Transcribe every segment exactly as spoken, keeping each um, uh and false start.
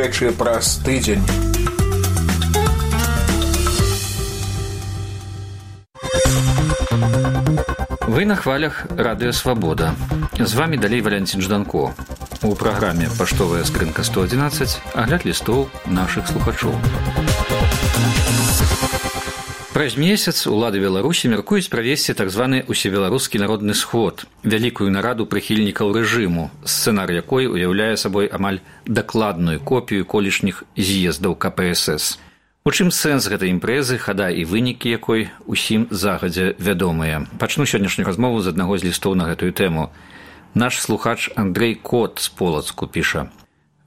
Речі праз тиждень. Вы на хвалях Радио Свобода. З вами далей Валентин Жданко. У праграме «Паштовая скрынка сто одиннадцать» агляд лістоў нашых слухачоў. Праз месяц улады Беларусі мяркуюць правесці так званы усебеларускі народны сход, вялікую нараду прыхільнікаў рэжыму, сцэнар якой уяўляе сабой амаль дакладную копію колішніх з'ездаў ка пэ эс эс. У чым сэнс гэтай імпрэзы, хада і вынікі якой усім загадзя вядомыя. Пачну сённяшнюю размову з аднаго з лістоў на гэтую тэму. Наш слухач Андрэй Кот з Полацку піша: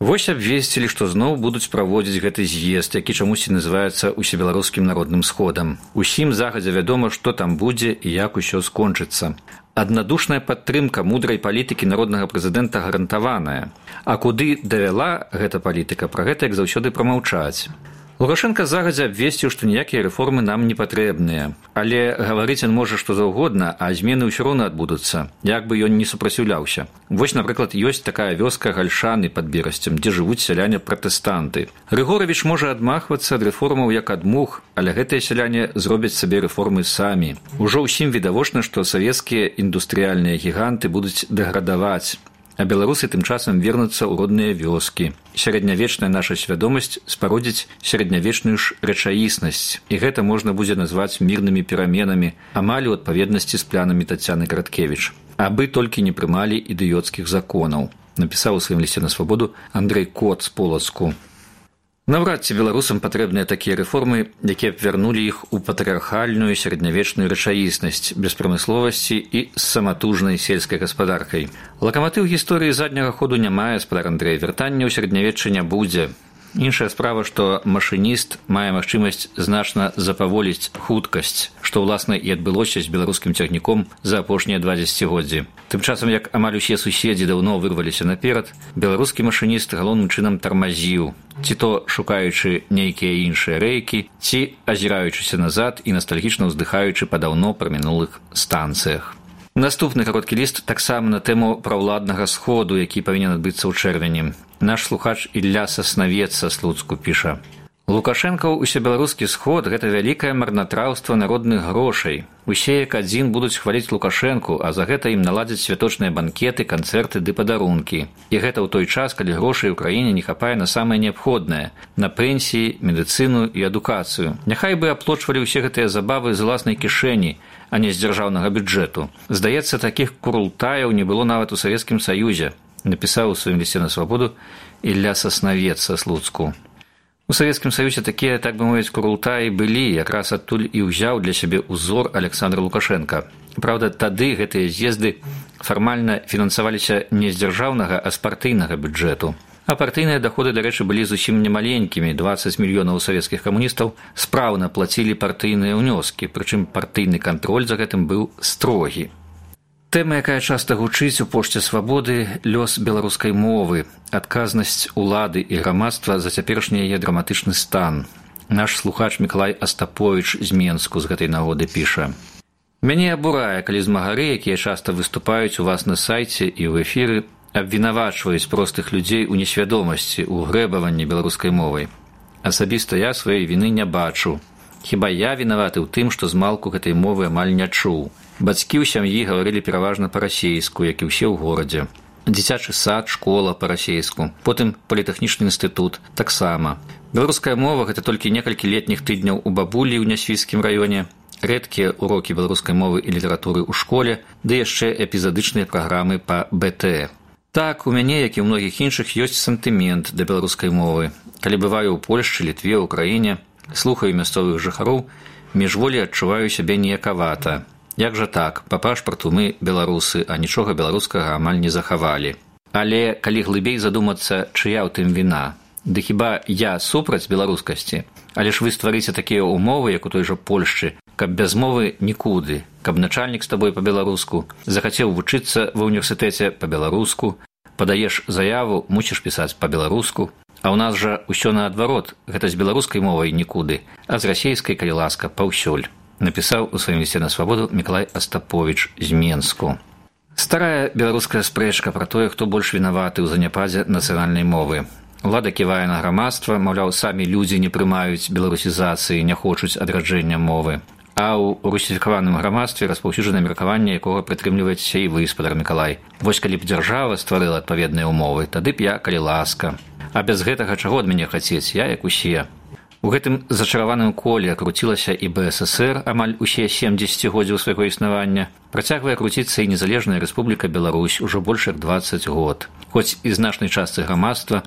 «Вось абвесцілі, што зноў будуць праводзіць гэты з'езд, які чамусьці называецца усебеларускім народным сходам. Усім загадзя вядома, што там будзе і як усё скончыцца. Аднадушная падтрымка мудрай палітыкі народнага прэзідэнта гарантаваная. А куды давяла гэта палітыка, пра гэта як заўсёды прамаўчаць. Лукашенко загадзя абвесціў, што ніякія рэформы нам не патрэбныя. Але гаварыць ён можа што заўгодна, а змены ўсё роўна адбудуцца, як бы ён не супраціўляўся. Вось, напрыклад, ёсць такая вёска Гальшаны пад Берасцем, дзе жывуць сяляне-пратэстанты. Рыгоравіч можа адмахвацца ад рэформаў як ад мух, але гэтыя сяляне зробяць сабе рэформы самі. Ужо ўсім відавочна, што савецкія індустрыяльныя гіганты будуць дэградаваць, а беларусы тым часам вернуцца ў родныя вёскі. Сярэднявечная наша свядомасць спародзіць сярэднявечную ж рэчаіснасць, і гэта можна будзе назваць мірнымі пераменамі, амаль у адпаведнасці з планамі Тацяны Караткевіч. Абы толькі не прымалі ідыёцкіх законаў», напісаў у сваім лісце на Свабоду Андрэй Кот з Полацку. Наўрад ці беларусам патрэбныя такія рэформы, якія б вярнулі іх у патрыархальную сярэднявечную рэчаіснасць, без прамысловасці і з саматужнай сельскай гаспадаркай. Лакаматыў гісторыі задняга ходу не мае, спадар Андрэй, вяртання ў сярэднявечча не будзе. Іншая справа, што машыніст мае магчымасць значна запаволіць хуткасць, што, ўласна, і адбылося з беларускім цягніком за апошнія два дзесяцігоддзі. Тым часам, як амаль усе суседзі даўно вырваліся наперад, беларускі машыніст галоўным чынам тармазіў, ці то шукаючы нейкія іншыя рэйкі, ці азіраючыся назад і настальгічна ўздыхаючы па даўно прамінулых станцыях. Наступны кароткі ліст таксама на тэму праўладнага сходу, які павінен адбыцца ў чэрвені. Наш слухач Ілля Саснавец са Слуцку піша: «Лукашэнкаў усебеларускі сход – гэта вялікае марнатраўства народных грошай. Усе як адзін будуць хваліць Лукашэнку, а за гэта ім наладзяць святочныя банкеты, канцэрты ды падарункі. І гэта ў той час, калі грошай у краіне не хапае на самае неабходнае – на пенсіі, медыцыну і адукацыю. Няхай бы аплочвалі ўсе гэтыя забавы з уласнай кішэні, а не з дзяржаўнага бюджэту. Здаецца, такіх курултаяў не было нават у Савецкім Саюзе», напісаў у сваім лісце на Свабоду Ілля Саснавец са Слуцку. У Савецкім Саюзе такія, так бы мовіць, курултаі былі, якраз адтуль і ўзяў для сябе ўзор Александр Лукашенко. Праўда, тады гэтыя з'езды фармальна фінансаваліся не з дзяржаўнага, а з партыйнага бюджэту. А партыйныя даходы, дарэчы, былі зусім немаленькімі. дваццаць мільёнаў савецкіх камуністаў спраўна плацілі партыйныя ўнёскі, прычым партыйны кантроль за гэтым быў строгі. Тэма, якая часта гучыць у пошце Свабоды – лёс беларускай мовы, адказнасць улады і грамадства за цяперашні яе драматычны стан. Наш слухач Мікалай Астаповіч з Менску з гэтай нагоды піша: «Мяне абурае, калі змагары, якія часта выступаюць у вас на сайце і ў эфіры, абвінавачваюць простых людзей у несвядомасці, у грэбаванні беларускай мовай. Асабіста я сваёй віны не бачу. Хіба я вінаваты ў тым, што змалку гэтай мовы амаль не чуў. Бацькі ў сям'і гаварылі пераважна па-расейску, як і ўсе ў горадзе. Дзіцячы сад, школа па-расейску, потым політэхнічны інстытут таксама. Беларуская мова – гэта толькі некалькі летніх тыдняў у бабулі ў Нясвіцкім раёне, рэдкія урокі беларускай мовы і літаратуры ў школе, ды яшчэ эпізадычныя праграмы па бэ тэ. Так, у мяне, як і ў многіх іншых, ёсць сантымент да беларускай мовы. Калі бываю ў Польшчы, Літве, Украіне, слухаю мясцовых жыхароў, міжволі адчуваю сябе ніякавата. Як жа так, па пашпарту мы беларусы, а нічога беларускага амаль не захавалі. Але калі глыбей задумацца, чыя ў тым віна? Ды хіба я супраць беларускасці? Але ж вы стварыце такія ўмовы, як у той жа Польшчы, каб без мовы нікуды, каб начальнік з табой па-беларуску, захацеў вучыцца ва ўніверсітэце па-беларуску, падаеш заяву, мусіш пісаць па-беларуску. А ў нас жа ўсё наадварот, гэта з беларускай мовай нікуды, а з расейскай, калі ласка, паўсюль. Напісаў у сваім лісце на Свабоду Мікалай Астаповіч з Менску. Старая беларуская спрэчка пра тое, хто больш вінаваты ў заняпадзе нацыянальнай мовы. Улада ківае на грамадства, маўляў, самі людзі не прымаюць беларусізацыі, не хочуць адраджэння мовы. А ў русіфікаваным грамадстве распаўсюджана меркаванне, якога прытрымліваецца і вы, спадар Мікалай. Вось калі б дзяржава стварыла адпаведныя ўмовы, тады б я, калі ласка. А без гэтага чаго ад мяне хацець, я як усе. У гэтым зачараваным коле круцілася і бэ эс эсэр амаль усе сем дзесяцігоддзяў свайго існавання. Працягвае круціцца і незалежная Рэспубліка Беларусь ужо больш як дваццаць год. Хоць і значнай частцы грамадства,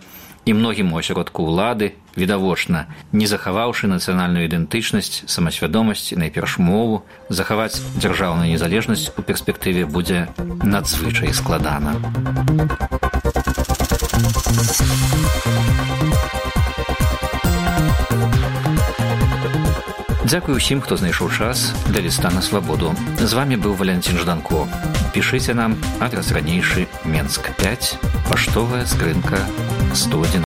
і многім у асяродку ўлады, відавочна, не захаваўшы нацыянальную ідэнтычнасць, самасвядомасць, найперш мову, захаваць дзяржаўную незалежнасць у перспектыве будзе надзвычай складана. Дзякую ўсім, хто знайшоў час для ліста на свабоду. З вамі быў Валянцін Жданко. Пішыце нам, адрас ранейшы, Менск пяць, паштовая скрынка сто адзінаццаць.